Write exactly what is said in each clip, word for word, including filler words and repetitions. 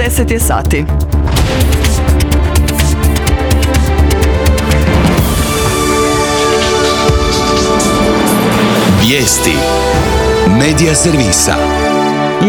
deset je sati. Vijesti Medija servisa.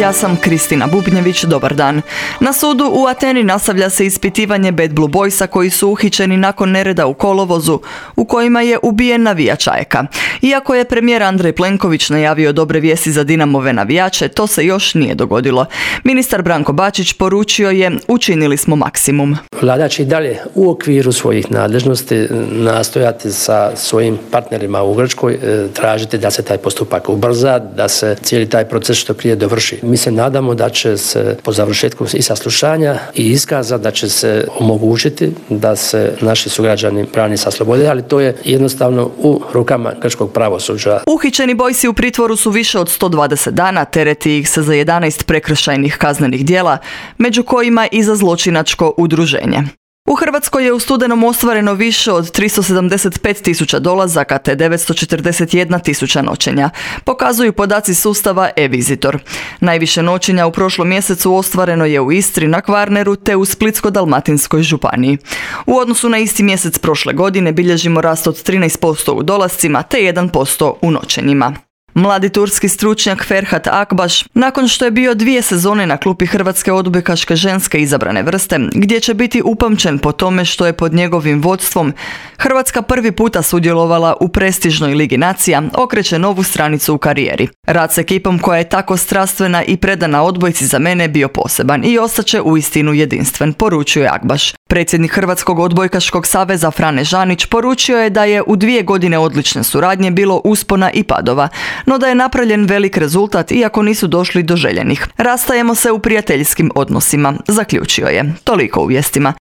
Ja sam Kristina Bubnjević, dobar dan. Na sudu u Ateni nastavlja se ispitivanje Bad Blue Boysa koji su uhićeni nakon nereda u kolovozu u kojima je ubijen navijač A E K-a. Iako je premijer Andrej Plenković najavio dobre vijesti za Dinamove navijače, to se još nije dogodilo. Ministar Branko Bačić poručio je: učinili smo maksimum. Vlada će i dalje u okviru svojih nadležnosti nastojati sa svojim partnerima u Grčkoj tražiti da se taj postupak ubrza, da se cijeli taj proces što prije dovrši. Mi se nadamo da će se po završetku i saslušanja i iskaza da će se omogućiti da se naši sugrađani brane sa slobode, ali to je jednostavno u rukama grčkog pravosuđa. Uhićeni Bojsi u pritvoru su više od sto dvadeset dana, tereti ih se za jedanaest prekršajnih kaznenih djela, među kojima i za zločinačko udruženje. U Hrvatskoj je u studenom ostvareno više od tristo sedamdeset pet tisuća dolazaka te devetsto četrdeset jedna tisuća noćenja, pokazuju podaci sustava e-Visitor. Najviše noćenja u prošlom mjesecu ostvareno je u Istri, na Kvarneru te u Splitsko-dalmatinskoj županiji. U odnosu na isti mjesec prošle godine bilježimo rast od trinaest posto u dolascima te jedan posto u noćenjima. Mladi turski stručnjak Ferhat Akbaš, nakon što je bio dvije sezone na klupi Hrvatske odbojkaške ženske izabrane vrste, gdje će biti upamćen po tome što je pod njegovim vodstvom Hrvatska prvi puta sudjelovala u prestižnoj Ligi nacija, okreće novu stranicu u karijeri. Rad s ekipom koja je tako strastvena i predana odbojci za mene bio poseban i ostaće uistinu jedinstven, poručuje Akbaš. Predsjednik Hrvatskog odbojkaškog saveza Frane Žanić poručio je da je u dvije godine odlične suradnje bilo uspona i padova, no da je napravljen velik rezultat iako nisu došli do željenih. Rastajemo se u prijateljskim odnosima, zaključio je. Toliko u vijestima.